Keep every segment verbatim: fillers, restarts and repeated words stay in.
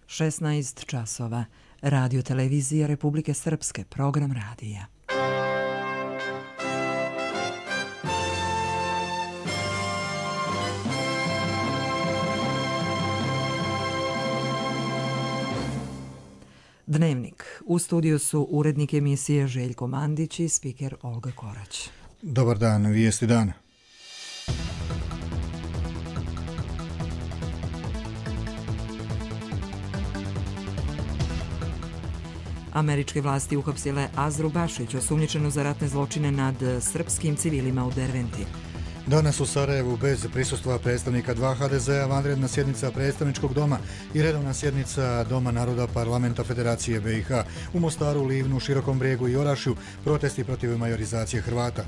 šesnaest časova. Radio televizija Republike Srpske, program radija. Dnevnik. U studiju su urednik emisije Željko Mandić i spiker Olga Korać. Dobar dan, vijesti dana. Američke vlasti uhapsile Azru Bašić, osumnjičenu za ratne zločine nad srpskim civilima u Derventi. Danas u Sarajevu bez prisustva predstavnika dva ha de zea vanredna sjednica predstavničkog doma i redovna sjednica Doma naroda Parlamenta Federacije be i ha. U Mostaru, Livnu, Širokom Brijegu i Orašju protesti protiv majorizacije Hrvata.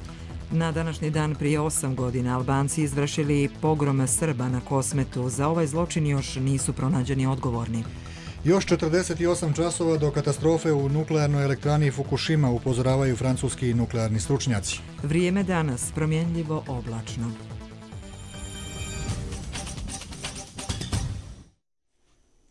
Na današnji dan prije osam godina Albanci izvršili pogrom Srba na Kosmetu. Za ovaj zločin još nisu pronađeni odgovorni. Još četrdeset osam časova do katastrofe u nuklearnoj elektrani Fukushima, upozoravaju francuski nuklearni stručnjaci. Vrijeme danas promjenljivo oblačno.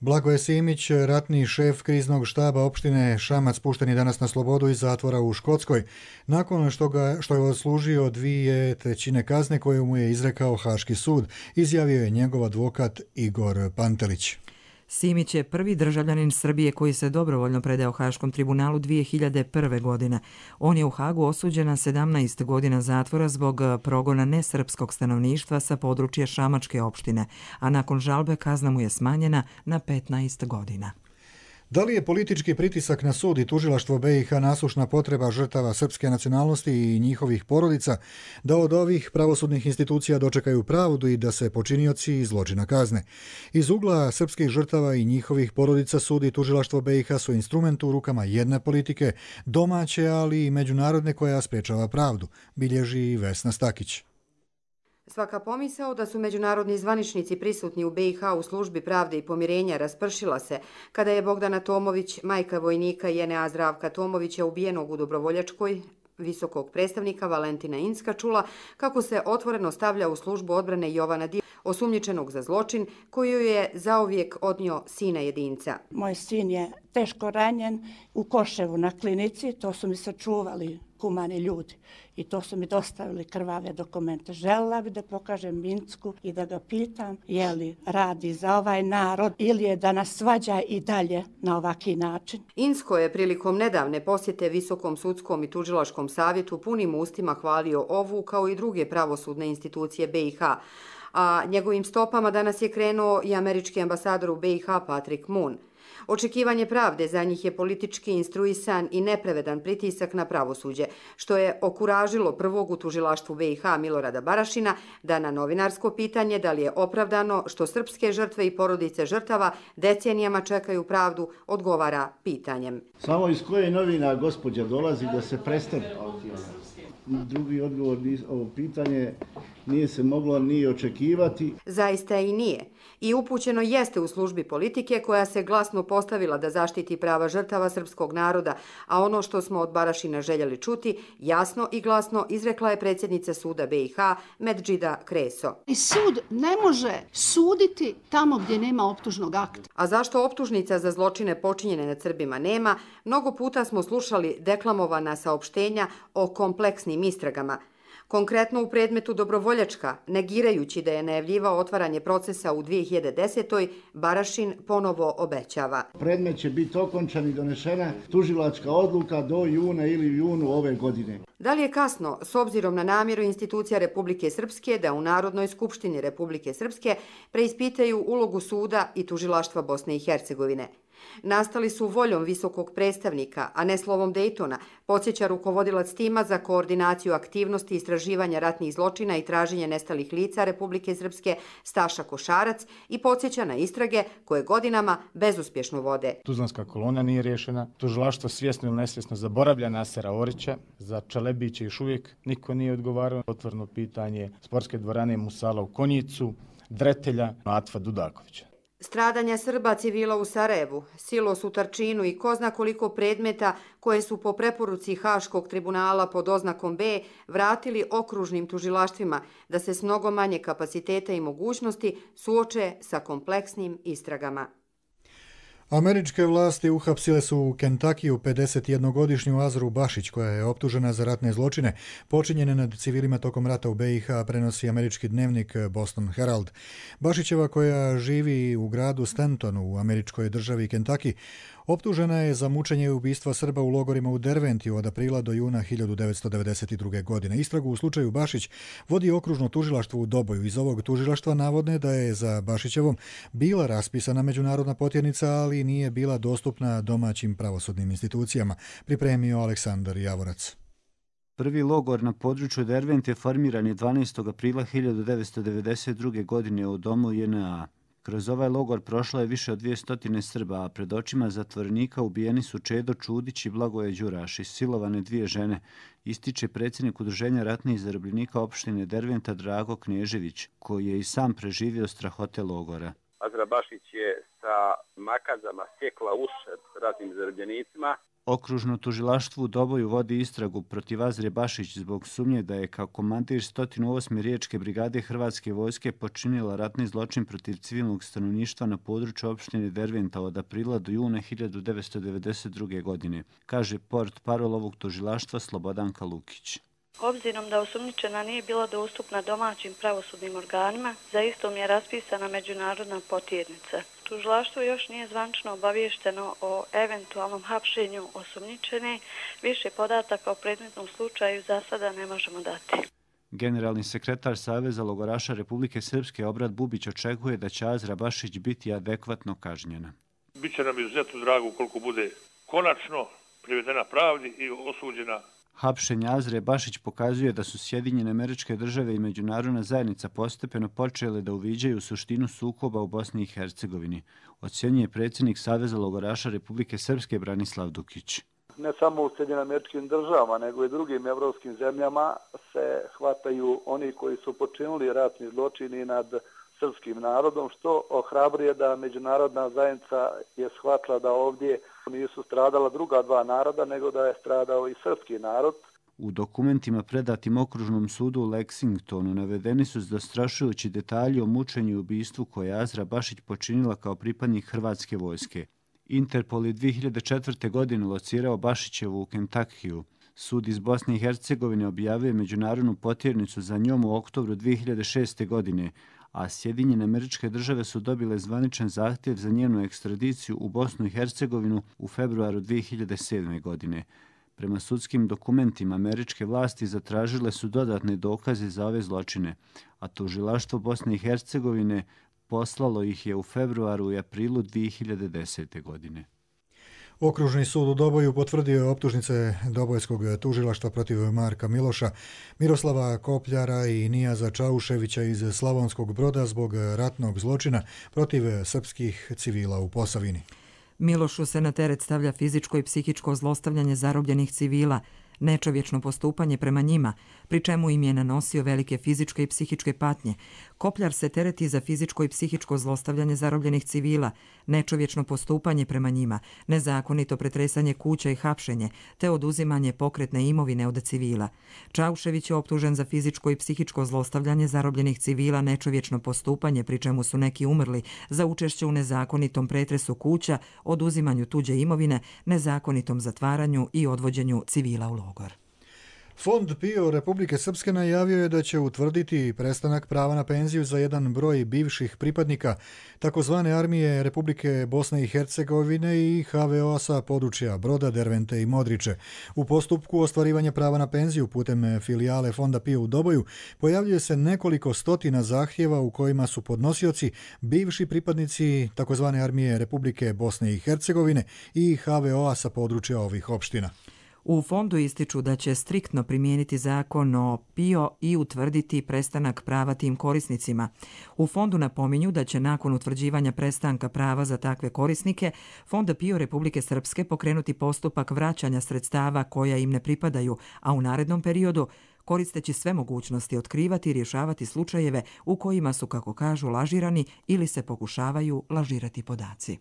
Blagoje Simić, ratni šef kriznog štaba opštine Šamac, pušten je danas na slobodu iz zatvora u Škotskoj, nakon što, ga, što je odslužio dvije trećine kazne koju mu je izrekao Haški sud, izjavio je njegov advokat Igor Pantelić. Simić je prvi državljanin Srbije koji se dobrovoljno predao Haškom tribunalu dvije hiljade prve. godine. On je u Hagu osuđen na sedamnaest godina zatvora zbog progona nesrpskog stanovništva sa područja Šamačke opštine, a nakon žalbe kazna mu je smanjena na petnaest godina. Da li je politički pritisak na sud i tužilaštvo be i ha nasušna potreba žrtava srpske nacionalnosti i njihovih porodica da od ovih pravosudnih institucija dočekaju pravdu i da se počinioci zločina kazne? Iz ugla srpskih žrtava i njihovih porodica sud i tužilaštvo be i ha su instrument u rukama jedne politike, domaće, ali i međunarodne, koja sprečava pravdu, bilježi Vesna Stakić. Svaka pomisao da su međunarodni zvaničnici prisutni u be i ha u službi pravde i pomirenja raspršila se kada je Bogdana Tomović, majka vojnika Jenea Zdravka Tomovića, ubijenog u Dobrovoljačkoj, visokog predstavnika Valentina Incka, čula kako se otvoreno stavlja u službu odbrane Jovana Div, osumnjičenog za zločin koju je zauvijek odnio sina jedinca. Moj sin je teško ranjen u Koševu na klinici, to su mi sačuvali humani ljudi i to su mi dostavili krvave dokumente. Željela bi da pokažem Incku i da ga pitam je li radi za ovaj narod ili je da nas svađa i dalje na ovaki način. Incko je prilikom nedavne posjete Visokom sudskom i tužilačkom savjetu punim ustima hvalio ovu kao i druge pravosudne institucije be i ha, a njegovim stopama danas je krenuo i američki ambasador u be i ha Patrick Moon. Očekivanje pravde za njih je politički instruisan i nepravedan pritisak na pravosuđe, što je okuražilo prvog u tužilaštvu be i ha Milorada Barašina da na novinarsko pitanje da li je opravdano što srpske žrtve i porodice žrtava decenijama čekaju pravdu, odgovara pitanjem. Samo iz koje novina gospođa dolazi da se prestane? Drugi odgovor ovo pitanje nije se moglo ni očekivati. Zaista i nije. I upućeno jeste u službi politike koja se glasno postavila da zaštiti prava žrtava srpskog naroda, a ono što smo od Barašina željeli čuti, jasno i glasno izrekla je predsjednica suda be i ha Medžida Kreso. I sud ne može suditi tamo gdje nema optužnog akta. A zašto optužnica za zločine počinjene nad Srbima nema? Mnogo puta smo slušali deklamovana saopštenja o kompleksnim istragama. Konkretno u predmetu Dobrovoljačka, negirajući da je najavljivao otvaranje procesa u dvije hiljade desetoj. Barašin ponovo obećava. Predmet će biti okončan i donešena tužilačka odluka do juna ili junu ove godine. Da li je kasno, s obzirom na namjeru institucija Republike Srpske da u Narodnoj skupštini Republike Srpske preispitaju ulogu suda i tužilaštva Bosne i Hercegovine? Nastali su voljom visokog predstavnika, a ne slovom Dejtona, podsjeća rukovodilac tima za koordinaciju aktivnosti istraživanja ratnih zločina i traženja nestalih lica Republike Srpske Staša Košarac i podsjeća na istrage koje godinama bezuspješno vode. Tuzlanska kolona nije riješena, tužilaštvo svjesno ili nesvjesno zaboravlja Nasera Orića, za Čelebića još uvijek niko nije odgovarao. Otvoreno pitanje sportske dvorane Musala u Konjicu, Dretelja, Atva Dudakovića. Stradanja Srba civila u Sarajevu, silos u Tarčinu i ko zna koliko predmeta koje su po preporuci Haškog tribunala pod oznakom B vratili okružnim tužilaštvima da se s mnogo manje kapaciteta i mogućnosti suoče sa kompleksnim istragama. Američke vlasti uhapsile su u Kentakiju pedesetjednogodišnju Azru Bašić, koja je optužena za ratne zločine počinjene nad civilima tokom rata u be i ha, prenosi američki dnevnik Boston Herald. Bašićeva, koja živi u gradu Stantonu u američkoj državi Kentucky, optužena je za mučenje i ubistva Srba u logorima u Derventiju od aprila do juna hiljadu devetsto devedeset druge. godine. Istragu u slučaju Bašić vodi okružno tužilaštvo u Doboju. Iz ovog tužilaštva navodne da je za Bašićevom bila raspisana međunarodna potjernica, ali nije bila dostupna domaćim pravosudnim institucijama, pripremio Aleksandar Javorac. Prvi logor na području Dervente formiran je dvanaestog aprila hiljadu devetsto devedeset druge. godine u domu je en a. Kroz ovaj logor prošlo je više od dvjesto Srba, a pred očima zatvorenika ubijeni su Čedo Čudić i Blagoje Đuraš, silovane dvije žene, ističe predsjednik Udruženja ratnih zarobljenika opštine Derventa Drago Knežević, koji je i sam preživio strahote logora. Azra Bašić je sa makazama sjekla uši ratnim zarobljenicima. Okružno tužilaštvo u Doboju vodi istragu protiv Azre Bašić zbog sumnje da je kao komandir sto osme riječke brigade Hrvatske vojske počinila ratni zločin protiv civilnog stanovništva na području opštine Derventa od aprila do juna hiljadu devetsto devedeset druge. godine, kaže port parol ovog tužilaštva Slobodanka Lukić. Obzirom da osumnjičena nije bila dostupna domaćim pravosudnim organima, za istom je raspisana međunarodna potjernica. Tužilaštvo još nije zvanično obaviješteno o eventualnom hapšenju osumnjičene, više podataka o predmetnom slučaju za sada ne možemo dati. Generalni sekretar Saveza logoraša Republike Srpske Obrad Bubić očekuje da će Azra Bašić biti adekvatno kažnjena. Biće nam izuzetno drago ukoliko bude konačno privedena pravdi i osuđena. Hapšenje Azre Bašić pokazuje da su Sjedinjene Američke Države i međunarodna zajednica postepeno počele da uviđaju suštinu sukoba u Bosni i Hercegovini, ocjenjuje predsjednik Saveza logoraša Republike Srpske Branislav Dukić. Ne samo u Sjedinjenim Američkim Državama, nego i drugim evropskim zemljama se hvataju oni koji su počinili ratni zločini nad srpskim narodom, što ohrabruje da međunarodna zajednica je shvatila da ovdje nisu stradala druga dva naroda, nego da je stradao i srpski narod. U dokumentima predatim okružnom sudu u Lexingtonu navedeni su zastrašujući detalji o mučenju i ubistvu koje je Azra Bašić počinila kao pripadnik Hrvatske vojske. Interpol je dvije hiljade četvrte. godine locirao Bašićevu u Kentakiju. Sud iz Bosne i Hercegovine objavio međunarodnu potjernicu za njom u oktobru dvije hiljade šeste. godine, a Sjedinjene Američke Države su dobile zvaničan zahtjev za njenu ekstradiciju u Bosnu i Hercegovinu u februaru dvije hiljade sedme. godine. Prema sudskim dokumentima, američke vlasti zatražile su dodatne dokaze za ove zločine, a tužilaštvo Bosne i Hercegovine poslalo ih je u februaru i aprilu dvije hiljade desete. godine. Okružni sud u Doboju potvrdio je optužnice Dobojskog tužilaštva protiv Marka Miloša, Miroslava Kopljara i Nijaza Čauševića iz Slavonskog Broda zbog ratnog zločina protiv srpskih civila u Posavini. Milošu se na teret stavlja fizičko i psihičko zlostavljanje zarobljenih civila, nečovječno postupanje prema njima, pri čemu im je nanosio velike fizičke i psihičke patnje. Kopljar se tereti za fizičko i psihičko zlostavljanje zarobljenih civila, nečovječno postupanje prema njima, nezakonito pretresanje kuća i hapšenje, te oduzimanje pokretne imovine od civila. Čaušević je optužen za fizičko i psihičko zlostavljanje zarobljenih civila, nečovječno postupanje, pri čemu su neki umrli, za učešće u nezakonitom pretresu kuća, oduzimanju tuđe imovine, nezakonitom zatvaranju i odvođenju civila u logor. Fond PIO Republike Srpske najavio je da će utvrditi prestanak prava na penziju za jedan broj bivših pripadnika takozvane armije Republike Bosne i Hercegovine i ha ve o a sa područja Broda, Dervente i Modriče. U postupku ostvarivanja prava na penziju putem filijale Fonda PIO u Doboju pojavljuje se nekoliko stotina zahtjeva u kojima su podnosioci bivši pripadnici takozvane armije Republike Bosne i Hercegovine i ha ve o a sa područja ovih opština. U fondu ističu da će striktno primijeniti zakon o PIO i utvrditi prestanak prava tim korisnicima. U fondu napominju da će nakon utvrđivanja prestanka prava za takve korisnike Fond PIO Republike Srpske pokrenuti postupak vraćanja sredstava koja im ne pripadaju, a u narednom periodu koristeći sve mogućnosti otkrivati i rješavati slučajeve u kojima su, kako kažu, lažirani ili se pokušavaju lažirati podaci.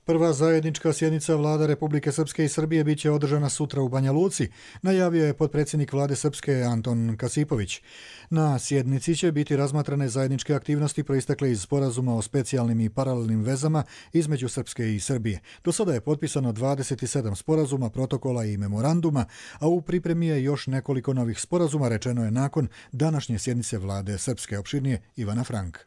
Prva zajednička sjednica vlada Republike Srpske i Srbije biće održana sutra u Banja Luci, najavio je potpredsjednik vlade Srpske Anton Kasipović. Na sjednici će biti razmatrane zajedničke aktivnosti proistekle iz sporazuma o specijalnim i paralelnim vezama između Srpske i Srbije. Do sada je potpisano dvadeset sedam sporazuma, protokola i memoranduma, a u pripremi je još nekoliko novih sporazuma, rečeno je nakon današnje sjednice vlade Srpske. Opširnije Ivana Frank.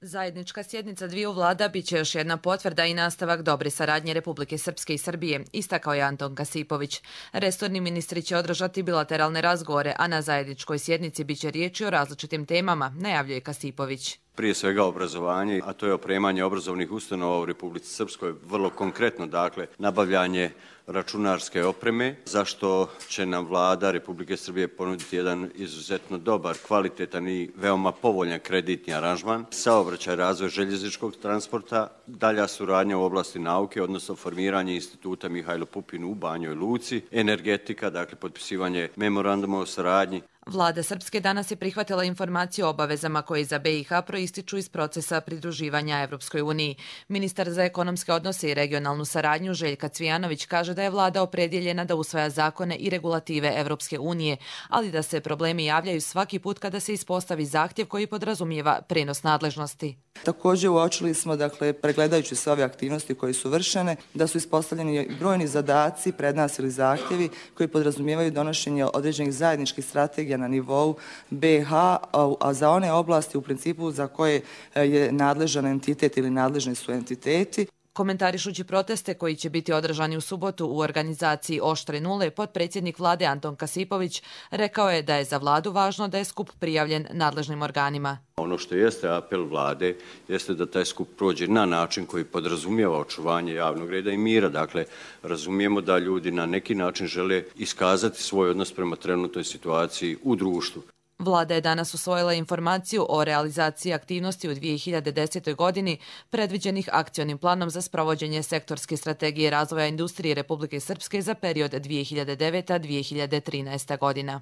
Zajednička sjednica dviju vlada biće još jedna potvrda i nastavak dobre saradnje Republike Srpske i Srbije, istakao je Anton Kasipović. Resorni ministri će održati bilateralne razgovore, a na zajedničkoj sjednici biće riječi o različitim temama, najavljuje Kasipović. Prije svega obrazovanje, a to je opremanje obrazovnih ustanova u Republici Srpskoj, vrlo konkretno, dakle, nabavljanje računarske opreme, zašto će nam vlada Republike Srbije ponuditi jedan izuzetno dobar, kvalitetan i veoma povoljan kreditni aranžman, saobraćaj, razvoj željezničkog transporta, dalja suradnja u oblasti nauke, odnosno formiranje instituta Mihajlo Pupin u Banjoj Luci, energetika, dakle, potpisivanje memoranduma o saradnji. Vlada Srpske danas je prihvatila informaciju o obavezama koje za B i H proističu iz procesa pridruživanja Evropskoj uniji. Ministar za ekonomske odnose i regionalnu saradnju Željka Cvijanović kaže da je vlada opredjeljena da usvaja zakone i regulative Evropske unije, ali da se problemi javljaju svaki put kada se ispostavi zahtjev koji podrazumijeva prenos nadležnosti. Također uočili smo, dakle, pregledajući sve ove aktivnosti koje su vršene, da su ispostavljeni brojni zadaci pred nas ili zahtjevi koji podrazumijevaju donošenje određenih zajedničkih strategija na nivou B i H, a za one oblasti u principu za koje je nadležan entitet ili nadležni su entiteti. Komentarišući proteste koji će biti održani u subotu u organizaciji Oštre nule, potpredsjednik vlade Anton Kasipović rekao je da je za vladu važno da je skup prijavljen nadležnim organima. Ono što jeste apel vlade jeste da taj skup prođe na način koji podrazumijeva očuvanje javnog reda i mira. Dakle, razumijemo da ljudi na neki način žele iskazati svoj odnos prema trenutnoj situaciji u društvu. Vlada je danas usvojila informaciju o realizaciji aktivnosti u dvije hiljade desetoj. godini predviđenih akcionim planom za sprovođenje sektorske strategije razvoja industrije Republike Srpske za period dvije hiljade deveta do dvije hiljade trinaeste. godina.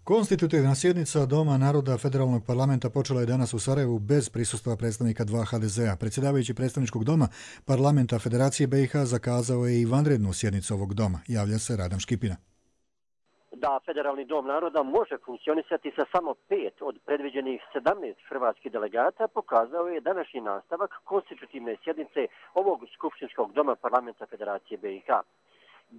Konstitutivna sjednica Doma naroda Federalnog parlamenta počela je danas u Sarajevu bez prisustva predstavnika dva H D Z-a. Predsjedavajući predstavničkog doma parlamenta Federacije B i H zakazao je i vanrednu sjednicu ovog doma. Javlja se Radan Škipina. Da Federalni dom naroda može funkcionisati sa samo pet od predviđenih sedamnaest hrvatskih delegata pokazao je današnji nastavak konstitutivne sjednice ovog skupštinskog doma parlamenta Federacije B i H.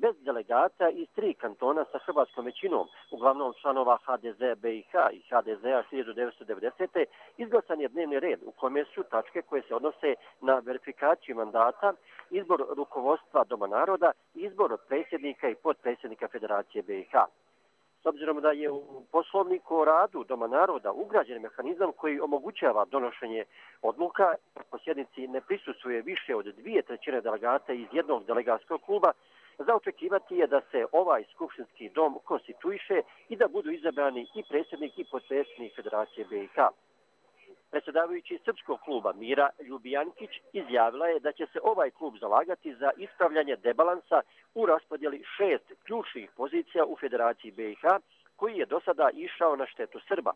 Bez delegata iz tri kantona sa hrvatskom većinom, uglavnom članova H D Z B i H i H D Z-a hiljadu devetsto devedesete. izglasan je dnevni red u kome su tačke koje se odnose na verifikaciju mandata, izbor rukovodstva Doma naroda i izbor predsjednika i potpredsjednika Federacije B i H. S obzirom da je u poslovniku o radu Doma naroda ugrađen mehanizam koji omogućava donošenje odluka, po sjednici ne prisustvuje više od dvije trećine delegata iz jednog delegatskog kluba, za očekivati je da se ovaj skupštinski dom konstituiše i da budu izabrani i predsjednik i potpredsjednik Federacije B i H. Predsjedavajući srpskog kluba Mira Ljubijankić izjavila je da će se ovaj klub zalagati za ispravljanje debalansa u raspodjeli šest ključnih pozicija u Federaciji B i H, koji je do sada išao na štetu Srba.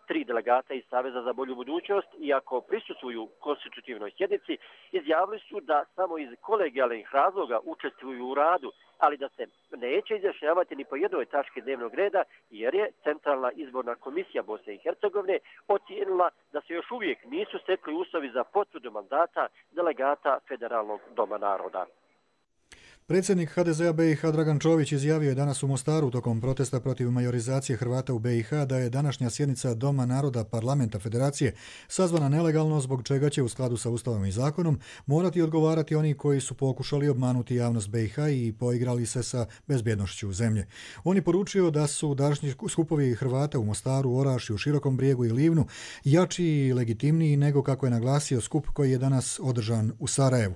Tri delegata iz Saveza za bolju budućnost, iako prisustvuju konstitutivnoj sjednici, izjavili su da samo iz kolegijalnih razloga učestvuju u radu, ali da se neće izjašnjavati ni po jednoj tački dnevnog reda, jer je Centralna izborna komisija Bosne i Hercegovine ocijenila da se još uvijek nisu stekli uslovi za potvrdu mandata delegata Federalnog doma naroda. Predsjednik H D Z-a B i H Dragan Čović izjavio je danas u Mostaru tokom protesta protiv majorizacije Hrvata u B i H da je današnja sjednica Doma naroda parlamenta Federacije sazvana nelegalno, zbog čega će u skladu sa Ustavom i zakonom morati odgovarati oni koji su pokušali obmanuti javnost B i H i poigrali se sa bezbjednošću zemlje. On je poručio da su današnji skupovi Hrvata u Mostaru, Orašju, Širokom Brijegu i Livnu jači i legitimniji nego kako je naglasio skup koji je danas održan u Sarajevu.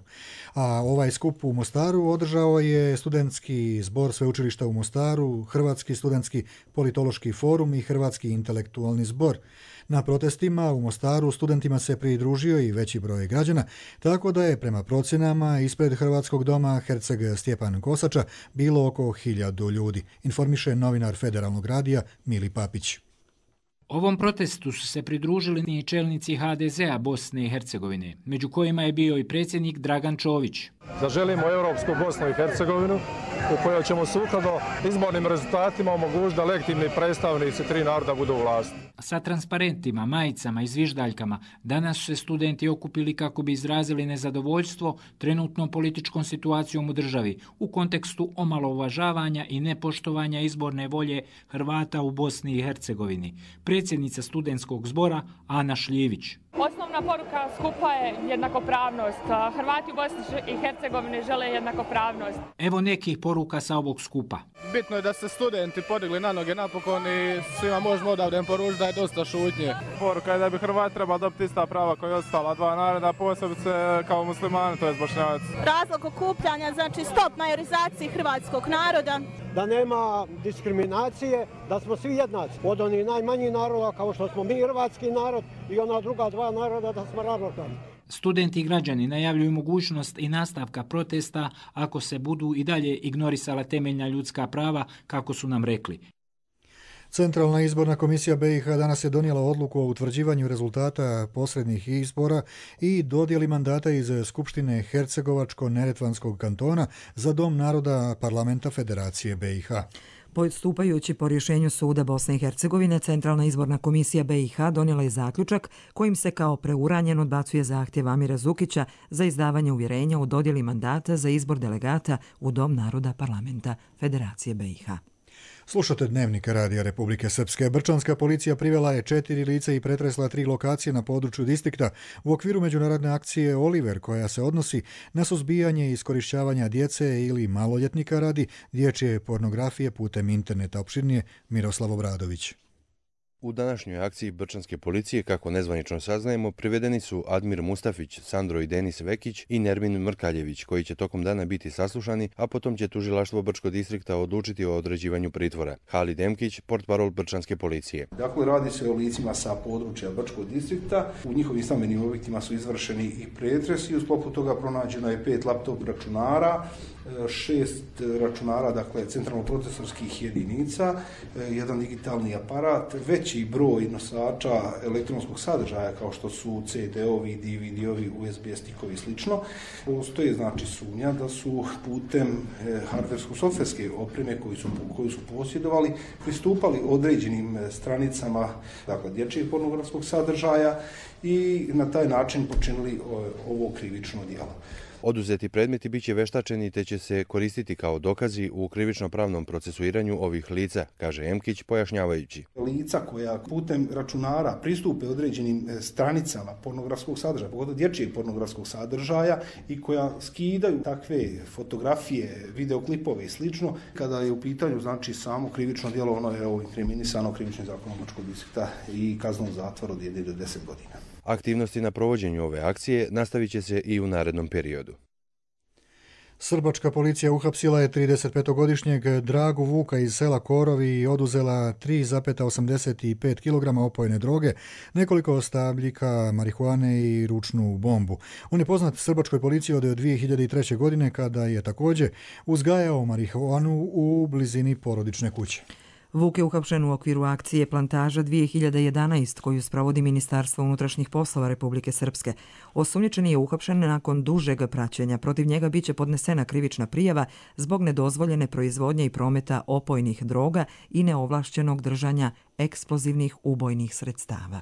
A ovaj skup u Mostaru održao je Studentski zbor Sveučilišta u Mostaru, Hrvatski studentski politološki forum i Hrvatski intelektualni zbor. Na protestima u Mostaru studentima se pridružio i veći broj građana, tako da je prema procjenama ispred Hrvatskog doma Herceg Stjepan Kosača bilo oko hiljadu ljudi, informiše novinar Federalnog radija Mili Papić. Ovom protestu su se pridružili i čelnici ha de zea Bosne i Hercegovine, među kojima je bio i predsjednik Dragan Čović. Zaželimo europsku Bosnu i Hercegovinu u kojoj ćemo sukladno izbornim rezultatima omogućiti da legitimni predstavnici tri naroda budu u vlasti. Sa transparentima, majicama i zviždaljkama danas su se studenti okupili kako bi izrazili nezadovoljstvo trenutnom političkom situacijom u državi u kontekstu omalovažavanja i nepoštovanja izborne volje Hrvata u Bosni i Hercegovini. Predsjednica studentskog zbora Ana Šljivić. Osnovna poruka skupa je jednakopravnost. Hrvati u Bosni i Hercegovini žele jednakopravnost. Evo nekih poruka sa ovog skupa. Bitno je da se studenti podigli na noge napokon i svima možemo odavde poručiti da je dosta šutnje. Poruka je da bi Hrvati trebali dobiti ista prava koja je ostala dva naroda, posebice kao muslimani, to je Bošnjaci. Razlog okupljanja, znači stop majorizaciji hrvatskog naroda. Da nema diskriminacije, da smo svi jednaci. Od onih najmanjih naroda kao što smo mi hrvatski narod i ona druga dva naroda da smo ravnopravni. Studenti i građani najavljuju mogućnost i nastavka protesta ako se budu i dalje ignorisala temeljna ljudska prava, kako su nam rekli. Centralna izborna komisija be i ha danas je donijela odluku o utvrđivanju rezultata posrednih izbora i dodjeli mandata iz Skupštine Hercegovačko-Neretvanskog kantona za Dom naroda Parlamenta Federacije be i ha. Postupajući po rješenju Suda Bosne i Hercegovine, Centralna izborna komisija be i ha donijela je zaključak kojim se kao preuranjen odbacuje zahtjev Amira Zukića za izdavanje uvjerenja u dodjeli mandata za izbor delegata u Dom naroda Parlamenta Federacije be i ha. Slušate Dnevnik Radija Republike Srpske. Brčanska policija privela je četiri lica i pretresla tri lokacije na području distrikta u okviru međunarodne akcije Oliver, koja se odnosi na suzbijanje i iskorišćavanja djece ili maloljetnika radi dječje pornografije putem interneta. Opširnije Miroslav Obradović. U današnjoj akciji Brčanske policije, kako nezvanično saznajemo, privedeni su Admir Mustafić, Sandro i Denis Vekić i Nermin Mrkaljević, koji će tokom dana biti saslušani, a potom će tužilaštvo Brčkog distrikta odlučiti o određivanju pritvora. Halid Emkić, portparol Brčanske policije. Dakle, radi se o licima sa područja Brčkog distrikta. U njihovim stambenim objektima su izvršeni i pretresi. U sklopu toga pronađeno je pet laptop računara, šest računara, dakle, centralno-procesorskih jedinica, jedan digitalni aparat, veći broj nosača elektronskog sadržaja kao što su ce de-ovi, de ve de-ovi, u es be stikovi i slično. Postoje, znači, sumnja da su putem hardversko-softverske opreme koju su, koju su posjedovali pristupali određenim stranicama, dakle, dječjeg pornografskog sadržaja i na taj način počinili ovo krivično djelo. Oduzeti predmeti biće veštačeni te će se koristiti kao dokazi u krivično-pravnom procesuiranju ovih lica, kaže Emkić pojašnjavajući. Lica koja putem računara pristupe određenim stranicama pornografskog sadržaja, pogotovo dječjeg pornografskog sadržaja i koja skidaju takve fotografije, videoklipove i slično, kada je u pitanju, znači, samo krivično djelo, ono je ovo inkriminisano krivičnim zakonom Brčkog distrikta i kaznom zatvora od jedne do deset godina. Aktivnosti na provođenju ove akcije nastavit će se i u narednom periodu. Srbačka policija uhapsila je tridesetpetogodišnjeg Dragu Vuka iz sela Korovi i oduzela tri zarez osamdeset pet kilograma opojne droge, nekoliko stabljika marihuane i ručnu bombu. On je poznat srbačkoj policiji od dvije hiljade treće. godine kada je također uzgajao marihuanu u blizini porodične kuće. Vuk je uhapšen u okviru akcije Plantaža dvije hiljade jedanaeste koju sprovodi Ministarstvo unutrašnjih poslova Republike Srpske. Osumnjičeni je uhapšen nakon dužeg praćenja. Protiv njega biće podnesena krivična prijava zbog nedozvoljene proizvodnje i prometa opojnih droga i neovlašćenog držanja eksplozivnih ubojnih sredstava.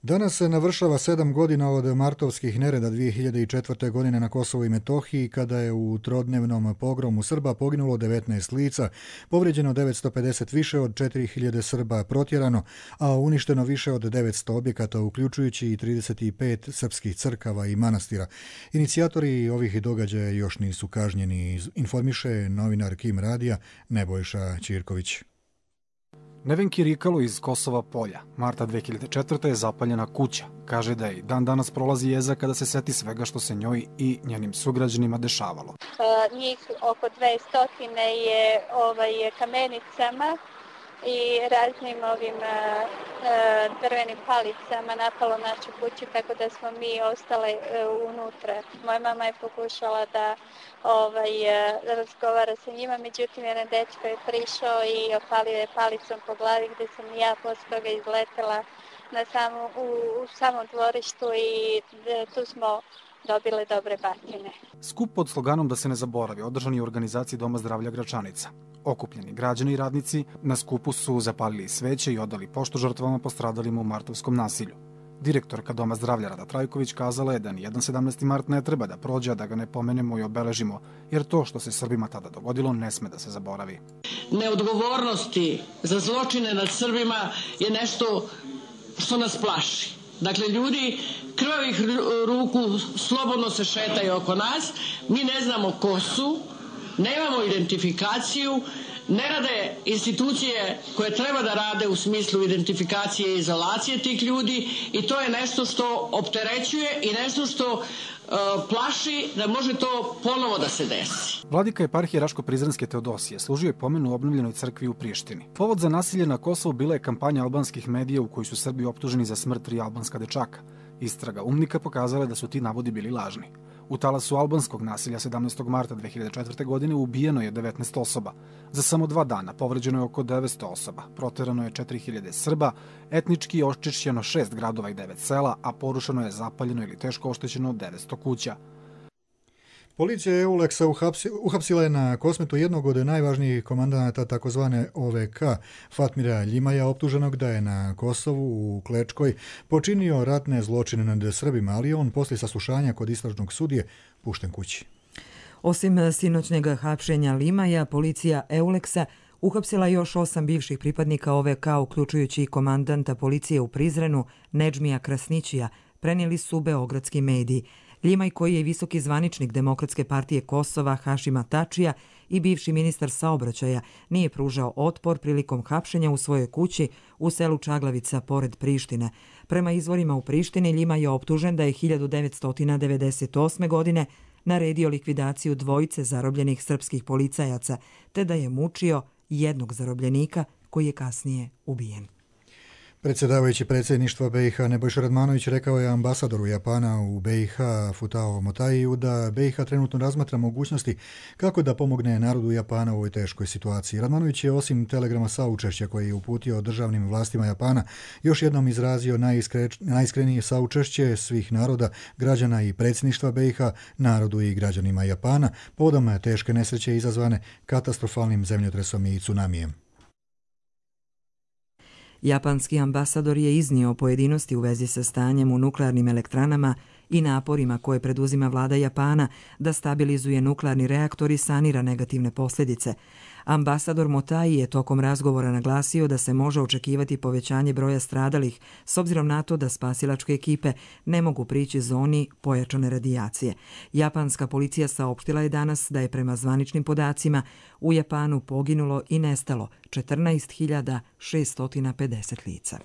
Danas se navršava sedam godina od martovskih nereda dvije hiljade četvrte. godine na Kosovu i Metohiji, kada je u trodnevnom pogromu Srba poginulo devetnaest lica, povrijeđeno devetsto pedeset, više od četiri hiljade Srba protjerano, a uništeno više od devetsto objekata, uključujući i trideset pet srpskih crkava i manastira. Inicijatori ovih događaja još nisu kažnjeni, informiše novinar Kim Radija Nebojša Ćirković. Nevenki Rikalu iz Kosova Polja, marta dve hiljade četvrte. je zapaljena kuća. Kaže da i dan danas prolazi jeza kada se seti svega što se njoj i njenim sugrađanima dešavalo. Njih oko dvesta je ovaj, kamenicama i raznim ovim drvenim palicama napalo našu kuću, tako da smo mi ostale unutra. Moja mama je pokušala da ovaj, razgovara sa njima, međutim jedan dečko je prišao i opalio je palicom po glavi, gde sam ja posle toga izletela na samo, u, u samom dvorištu i tu smo dobile dobre batine. Skup pod sloganom Da se ne zaboravi održan je u organizaciji Doma zdravlja Gračanica. Okupljeni građani i radnici na skupu su zapalili sveće i odali poštu žrtvama postradalima u martovskom nasilju. Direktorka Doma zdravlja Rada Trajković kazala je da nijedan sedamnaesti mart ne treba da prođe, a da ga ne pomenemo i obeležimo, jer to što se Srbima tada dogodilo ne sme da se zaboravi. Neodgovornosti za zločine nad Srbima je nešto što nas plaši. Dakle, ljudi krvavih ruku slobodno se šetaju oko nas, mi ne znamo ko su, nemamo identifikaciju, ne rade institucije koje treba da rade u smislu identifikacije i izolacije tih ljudi i to je nešto što opterećuje i nešto što uh, plaši da može to ponovo da se desi. Vladika eparhije Raško-Prizrenske Teodosije služio je pomen u obnovljenoj crkvi u Prištini. Povod za nasilje na Kosovu bila je kampanja albanskih medija u kojoj su Srbi optuženi za smrt tri albanska dečaka. Istraga umnika pokazala je da su ti navodi bili lažni. U talasu albanskog nasilja sedamnaestog marta dve hiljade četvrte. godine ubijeno je devetnaest osoba. Za samo dva dana povređeno je oko devetsto osoba, proterano je četiri hiljade Srba, etnički je očišćeno šest gradova i devet sela, a porušeno je, zapaljeno ili teško oštećeno devetsto kuća. Policija Euleksa uhapsila je na Kosmetu jednog od najvažnijih komandanata takozvane O V K, Fatmira Ljimaja, optuženog da je na Kosovu u Klečkoj počinio ratne zločine nad Srbima, ali on poslije saslušanja kod istražnog sudije pušten kući. Osim sinoćnjeg hapšenja Ljimaja, policija Euleksa uhapsila još osam bivših pripadnika O V K, uključujući i komandanta policije u Prizrenu, Nedžmija Krasnićija, prenijeli su beogradski mediji. Ljimaj, koji je visoki zvaničnik Demokratske partije Kosova Hašima Tačija i bivši ministar saobraćaja, nije pružao otpor prilikom hapšenja u svojoj kući u selu Čaglavica pored Prištine. Prema izvorima u Prištini, Ljimaj je optužen da je hiljadu devetsto devedeset osme. godine naredio likvidaciju dvojice zarobljenih srpskih policajaca, te da je mučio jednog zarobljenika koji je kasnije ubijen. Predsjedavajući predsjedništva B i H Nebojša Radmanović rekao je ambasadoru Japana u B i H Futao Motaiju da B i H trenutno razmatra mogućnosti kako da pomogne narodu Japana u ovoj teškoj situaciji. Radmanović je osim telegrama saučešća koji je uputio državnim vlastima Japana još jednom izrazio najiskre, najiskrenije saučešće svih naroda, građana i predsjedništva B i H narodu i građanima Japana povodom teške nesreće izazvane katastrofalnim zemljotresom i tsunamijem. Japanski ambasador je iznio pojedinosti u vezi sa stanjem u nuklearnim elektranama i naporima koje preduzima vlada Japana da stabilizuje nuklearni reaktor i sanira negativne posljedice. Ambasador Motai je tokom razgovora naglasio da se može očekivati povećanje broja stradalih s obzirom na to da spasilačke ekipe ne mogu prići zoni pojačane radijacije. Japanska policija saopštila je danas da je prema zvaničnim podacima u Japanu poginulo i nestalo četrnaest hiljada šesto pedeset lica.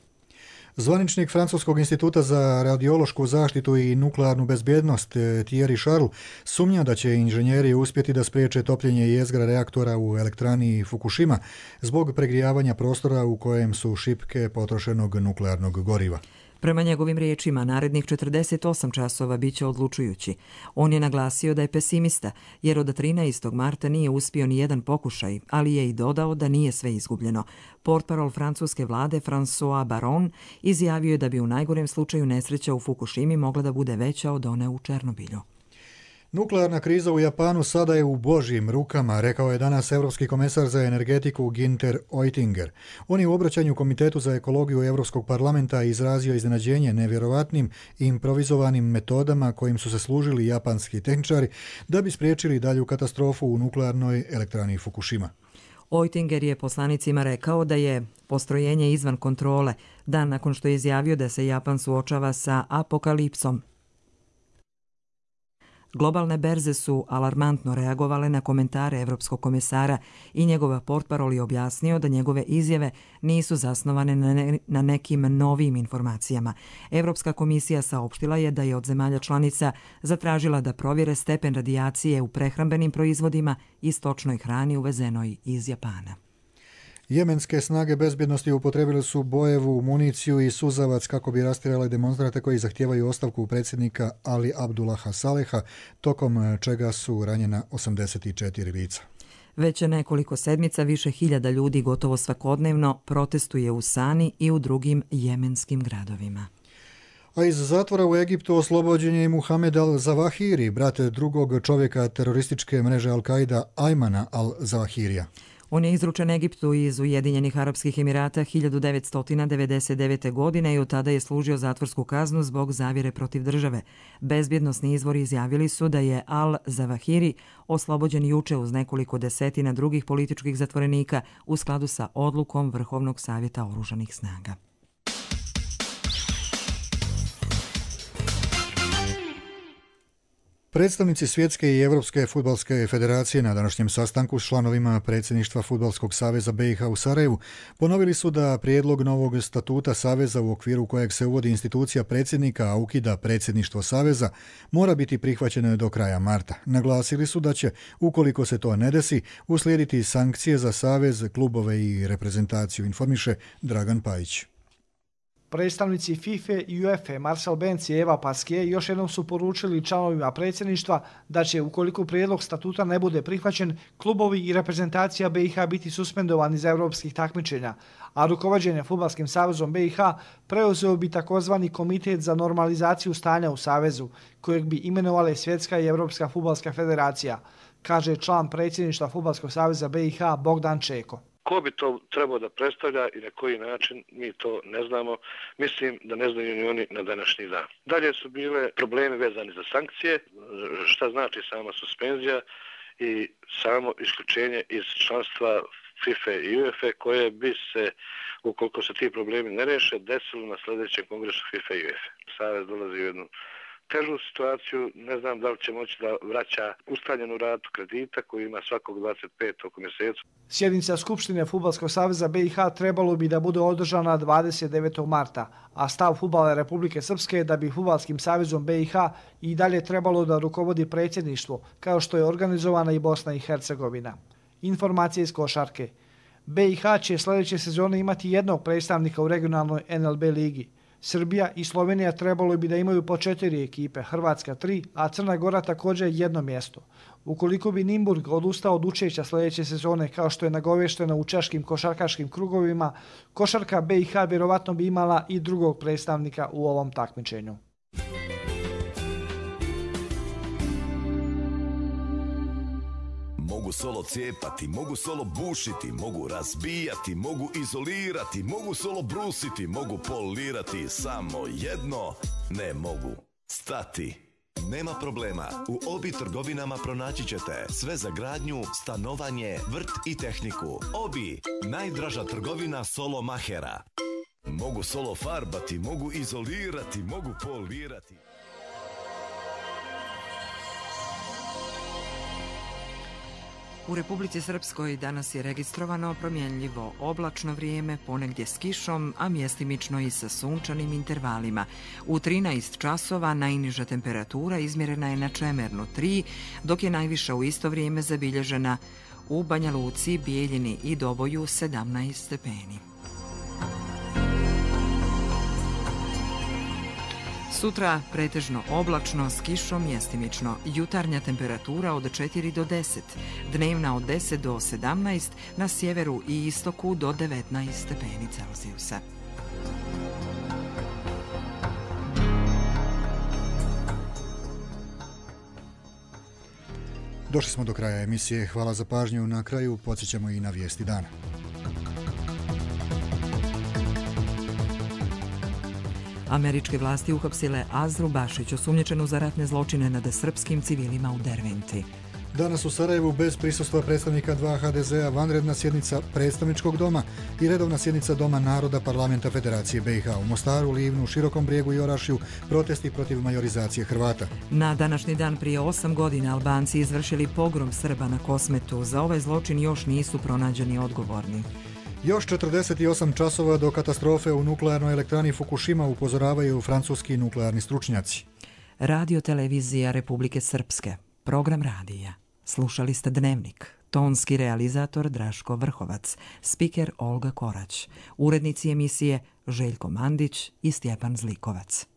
Zvaničnik Francuskog instituta za radiološku zaštitu i nuklearnu bezbjednost Thierry Charles sumnja da će inženjeri uspjeti da spriječe topljenje jezgra reaktora u elektrani Fukushima zbog pregrijavanja prostora u kojem su šipke potrošenog nuklearnog goriva. Prema njegovim riječima, narednih četrdeset osam časova bit će odlučujući. On je naglasio da je pesimista, jer od trinaestog marta nije uspio ni jedan pokušaj, ali je i dodao da nije sve izgubljeno. Portparol francuske vlade François Baron izjavio je da bi u najgorem slučaju nesreća u Fukushimi mogla da bude veća od one u Černobilju. Nuklearna kriza u Japanu sada je u božjim rukama, rekao je danas Evropski komesar za energetiku Günther Oettinger. On je u obraćanju Komitetu za ekologiju Evropskog parlamenta izrazio iznenađenje nevjerovatnim i improvizovanim metodama kojim su se služili japanski tehničari da bi spriječili dalju katastrofu u nuklearnoj elektrani Fukushima. Oettinger je poslanicima rekao da je postrojenje izvan kontrole, dan nakon što je izjavio da se Japan suočava sa apokalipsom. Globalne berze su alarmantno reagovale na komentare Evropskog komesara i njegova portparol je objasnio da njegove izjave nisu zasnovane na, ne, na nekim novim informacijama. Evropska komisija saopštila je da je od zemalja članica zatražila da provjere stepen radijacije u prehrambenim proizvodima i stočnoj hrani uvezenoj iz Japana. Jemenske snage bezbjednosti upotrebili su bojevu municiju i suzavac kako bi rastjerali demonstrante koji zahtijevaju ostavku predsjednika Ali Abdullaha Saleha, tokom čega su ranjena osamdeset četiri lica. Već nekoliko sedmica više hiljada ljudi gotovo svakodnevno protestuje u Sani i u drugim jemenskim gradovima. A iz zatvora u Egiptu oslobođen je i Muhamed al-Zawahiri, brat drugog čovjeka terorističke mreže Al-Qaida Ajmana al-Zawahirija. On je izručen Egiptu iz Ujedinjenih Arapskih Emirata hiljadu devetsto devedeset devete. godine i od tada je služio zatvorsku kaznu zbog zavjere protiv države. Bezbjednosni izvori izjavili su da je al-Zawahiri oslobođen juče uz nekoliko desetina drugih političkih zatvorenika u skladu sa odlukom Vrhovnog savjeta oružanih snaga. Predstavnici Svjetske i Europske fudbalske federacije na današnjem sastanku s članovima predsjedništva Fudbalskog saveza B i H u Sarajevu ponovili su da prijedlog novog statuta saveza u okviru kojeg se uvodi institucija predsjednika, a ukida predsjedništvo saveza, mora biti prihvaćeno do kraja marta. Naglasili su da će, ukoliko se to ne desi, uslijediti sankcije za savez, klubove i reprezentaciju, informiše Dragan Pajić. Predstavnici FIFA i UEFA Marcel Benz i Eva Pasquier još jednom su poručili članovima predsjedništva da će, ukoliko prijedlog statuta ne bude prihvaćen, klubovi i reprezentacija B i H biti suspendovani za europskih takmičenja, a rukovođenje Fudbalskim savezom B i H preuzeo bi takozvani komitet za normalizaciju stanja u savezu, kojeg bi imenovale Svjetska i Europska fudbalska federacija, kaže član predsjedništva Fudbalskog saveza B i H Bogdan Čeko. Ko bi to trebao da predstavlja i na koji način, mi to ne znamo. Mislim da ne znaju ni oni na današnji dan. Dalje su bile problemi vezani za sankcije, šta znači sama suspenzija i samo isključenje iz članstva FIFA i UEFA koje bi se, ukoliko se ti problemi ne reše, desilo na sljedećem kongresu FIFA i UEFA. Savez dolazi u jednu težu situaciju, ne znam da li će moći da vraća ustaljenu ratu kredita koju ima svakog dvadeset petog mjesecu. Sjednica Skupštine Fudbalskog saveza B i H trebalo bi da bude održana dvadeset devetog marta, a stav Fudbala Republike Srpske je da bi Fudbalskim savezom B i H i dalje trebalo da rukovodi predsjedništvo, kao što je organizovana i Bosna i Hercegovina. Informacije iz košarke. B i H će sljedeće sezone imati jednog predstavnika u regionalnoj N L B ligi. Srbija i Slovenija trebalo bi da imaju po četiri ekipe, Hrvatska tri, a Crna Gora također jedno mjesto. Ukoliko bi Nimburg odustao od učešća sljedeće sezone, kao što je nagovešteno u češkim košarkaškim krugovima, košarka B i H vjerovatno bi imala i drugog predstavnika u ovom takmičenju. Mogu solo cijepati, mogu solo bušiti, mogu razbijati, mogu izolirati, mogu solo brusiti, mogu polirati, samo jedno ne mogu stati. Nema problema, u Obi trgovinama pronaći ćete sve za gradnju, stanovanje, vrt i tehniku. Obi, najdraža trgovina solo mahera. Mogu solo farbati, mogu izolirati, mogu polirati. U Republici Srpskoj danas je registrovano promjenljivo oblačno vrijeme, ponegdje s kišom, a mjestimično i sa sunčanim intervalima. U trinaest časova najniža temperatura izmjerena je na Čemernu tri, dok je najviša u isto vrijeme zabilježena u Banja Luci, Bijeljini i Doboju sedamnaest stepeni. Sutra pretežno oblačno s kišom, mjestimično. Jutarnja temperatura od četiri do deset, dnevna od deset do sedamnaest, na sjeveru i istoku do devetnaest stepeni Celzijusa. Došli smo do kraja emisije. Hvala za pažnju. Na kraju podsjećamo i na vijesti dana. Američke vlasti uhapsile Azru Bašić, osumnjičenu za ratne zločine nad srpskim civilima u Derventi. Danas u Sarajevu bez prisustva predstavnika dva H D Z-a vanredna sjednica predstavničkog doma i redovna sjednica Doma naroda Parlamenta Federacije B i H. U Mostaru, Livnu, Širokom Brijegu i Orašju protesti protiv majorizacije Hrvata. Na današnji dan prije osam godina Albanci izvršili pogrom Srba na Kosmetu. Za ovaj zločin još nisu pronađeni odgovorni. Još četrdeset osam časova do katastrofe u nuklearnoj elektrani Fukushima, upozoravaju francuski nuklearni stručnjaci. Radio televizija Republike Srpske. Program radija. Slušali ste Dnevnik. tonski realizator Draško Vrhovac, spiker Olga Korać, urednici emisije Željko Mandić i Stjepan Zlikovac.